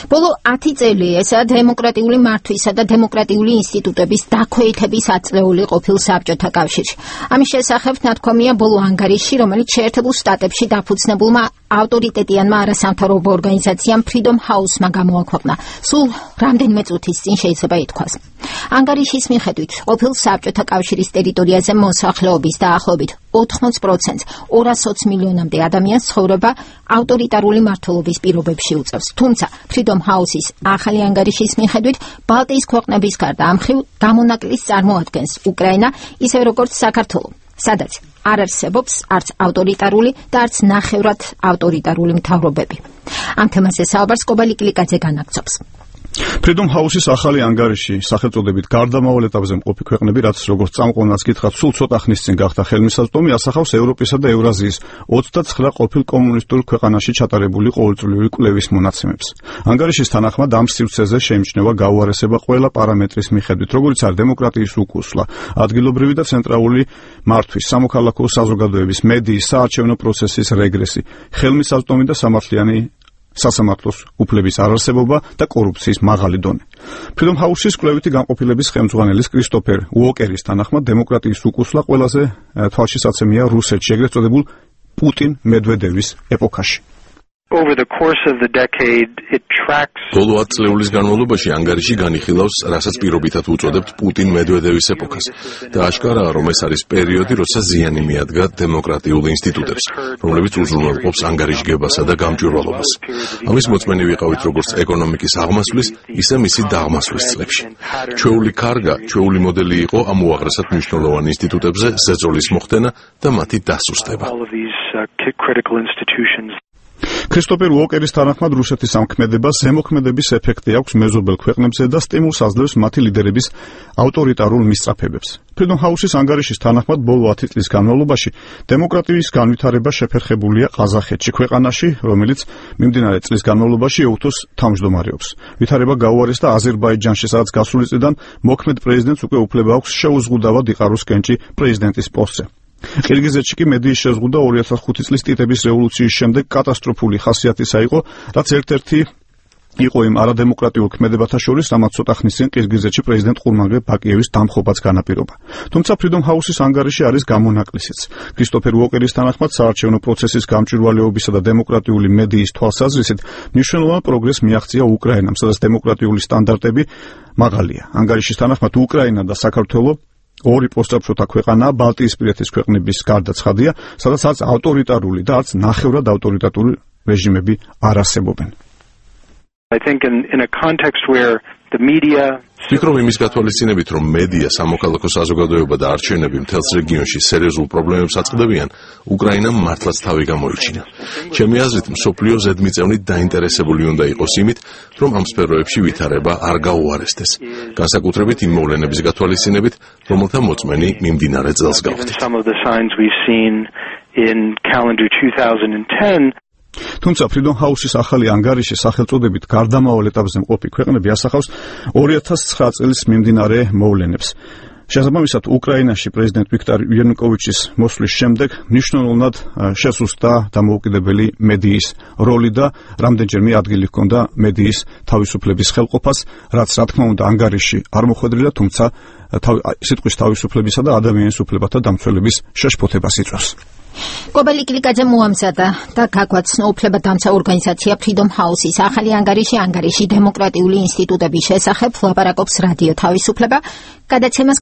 ბოლო 10 წელი ესა დემოკრატიული მართვისა და დემოკრატიული ინსტიტუტების დაქვეითების აწეული ყოფილ საბჭოთა კავშირში. ამის შესახებ ნათქვამია ბოლო ანგარიშში, რომელიც შეერთებულ შტატებში დაფუძნებულმა ავტორიტეტიანმა არასამთავრობო ორგანიზაციამ Freedom House-მა გამოაქვეყნა. სულ რამდენიმე წუთის წინ შეიძლება ითქვას. ანგარიშის მიხედვით, ყოფილ საბჭოთა კავშირის ტერიტორიაზე მოსახლეობის დაახლოებით 80%, 220 მილიონამდე ადამიანს ცხოვრება ავტორიტარული მმართველობის პირობებში უწევს. თუმცა, Freedom House-ის ახალი ანგარიშის მიხედვით, ბალტიის ქვეყნების გარდა ამ მხრივ გამონაკლისს წარმოადგენს უკრაინა, ისევე როგორც საქართველო, სადაც არ არსებობს არც ავტორიტარული და არც ნახევრად ავტორიტარული მთავრობები. ამ თემაზე საუბარს კობალი კლიკაძე განაგრძობს. Freedom House-ის ახალი ანგარიში სახელწოდებით გარდამავალ ეტაპზე მყოფი ქვეყნები, რაც როგორც წამყვანაც გითხრათ, სულ ცოტა ხნის წინ გახდა ხელმისაწვდომი, ასახავს ევროპისა და ევრაზიის 29 ყოფილ კომუნისტურ ქვეყანაში ჩატარებული ყოველწლიური კვლევის მონაცემებს. ანგარიშის თანახმად ამ სივრცეზე შეიმჩნევა გაუარესება ყველა პარამეტრის მიხედვით, როგორც არის დემოკრატიის უკუსვლა, ადგილობრივი და ცენტრალური მართვის, სამოქალაქო საზოგადოების, მედიის, საარჩევნო პროცესის რეგრესი, ხელმისაწვდომი და სამართლიანი სასამართლოს უფლების არარსებობა და კორუფციის მაღალი დონე. Freedom House-ის კვლევითი განყოფილების ხელმძღვანელის კრისტოფერ უოკერის თანახმად დემოკრატიის უკუსვლა ყველაზე თვალშისაცემია რუსეთში, ეგრეთ წოდებულ პუტინ-მედვედევის ეპოქაში. Over the course of the decade, it tracks. ბოლო 10 წლეულის განმავლობაში ანგარიში განიხილავს, რასაც პირობითად უწოდებთ პუტინ-მედვედევის ეპოქას და აშკარაა, რომ ეს არის პერიოდი, როცა ზიანი მიადგა დემოკრატიულ ინსტიტუტებს, რომლებიც უზრუნველყოფს ანგარიშგებასა და გამჭვირვალობას. ამის მოწმენი ვიყავით როგორც ეკონომიკის აღმასვლის, ისე მისი დაღმასვლის წლებში. ჩვეული კარგა, ჩვეული მოდელი იყო ამ უაღრესად მნიშვნელოვან ინსტიტუტებზე ზეწოლის მოხდენა და მათი დასუსტება. კრისტოფერ უოკერის თანახმად რუსეთის ამ ქმედებას ზემოქმედების ეფექტი აქვს მეზობელ ქვეყნებზე და სტიმულს აძლევს მათი ლიდერების ავტორიტარულ მისწრაფებებს. Freedom House-ის ანგარიშის თანახმად ბოლო 10 წლის განმავლობაში დემოკრატიის განვითარება შეფერხებულია ყაზახეთში, ქვეყანაში, რომელიც მიმდინარე წლის განმავლობაში ეუთოს თავმჯდომარეობს. ვითარება გაუარესდა აზერბაიჯანში, სადაც გასული წლიდან მოქმედ პრეზიდენტს უკვე უფლება აქვს შეუზღუდავად იყაროს კენჭი პრეზიდენტის პოსტზე. ყირგიზეთში კი მედიის შეზღუდვა 2005 წლის ტიტების რევოლუციის შემდეგ კატასტროფული ხასიათისა იყო, რაც ერთ-ერთი იყო იმ არადემოკრატიულ ქმედებათა შორის, რამაც ცოტა ხნის წინ ყირგიზეთში პრეზიდენტ ყურმანგებ ბაკიევის დამხობაც განაპირობა. თუმცა Freedom House-ის ანგარიში არის გამონაკლისიც. კრისტოფერ უოკერის თანახმად საარჩევნო პროცესის გამჭვირვალეობისა და დემოკრატიული მედიის თვალსაზრისით მნიშვნელოვან პროგრესს მიაღწია უკრაინამ, სადაც დემოკრატიული სტანდარტები მაღალია. ანგარიშის თანახმად უკრაინა და საქართველო ორი პოსტსაბჭოთა ქვეყანაა ბალტიისპირეთის ქვეყნების გარდა ცხადია, სადაც არც ავტორიტარული და არც ნახევრად ავტორიტარული რეჟიმები არ არსებობენ. I think in a context where the media ვფიქრობ იმის გათვალისწინებით, რომ მედია, სამოქალაქო საზოგადოება და არჩევნები მთელს რეგიონში სერიოზულ პრობლემებს აწყდებიან, უკრაინამ მართლაც თავი გამოიჩინა. ჩემი აზრით, მსოფლიო ზედმიწევნით დაინტერესებული უნდა იყოს იმით, რომ ამ სფეროებში ვითარება არ გაუარესდეს. განსაკუთრებით იმ მოვლენების გათვალისწინებით, რომელთა მოწმენი მიმდინარე წელს გავხდით. თუმცა Freedom House-ის ახალი ანგარიში სახელწოდებით გარდამავალ ეტაპზე მყოფი ქვეყნები ასახავს 2009 წლის მიმდინარე მოვლენებს. შესაბამისად, უკრაინაში პრეზიდენტ ვიქტორ იანუკოვიჩის მოსვლის შემდეგ მნიშვნელოვნად შესუსტა დამოუკიდებელი მედიის როლი და რამდენჯერმე ადგილი ჰქონდა მედიის თავისუფლების ხელყოფას, რაც რა თქმა უნდა ანგარიში არ მოხვედრილა, თუმცა სიტყვის თავისუფლებისა და ადამიანის უფლებათა დამცველების შეშფოთებას იწვევს. კობალი კლიკაძე მოამზადა და გაგვაცნო უფლებადამცა ორგანიზაცია Freedom House-ის ახალი ანგარიში დემოკრატიული ინსტიტუტების შესახებ ლაპარაკობს რადიო თავისუფლება. გადაცემას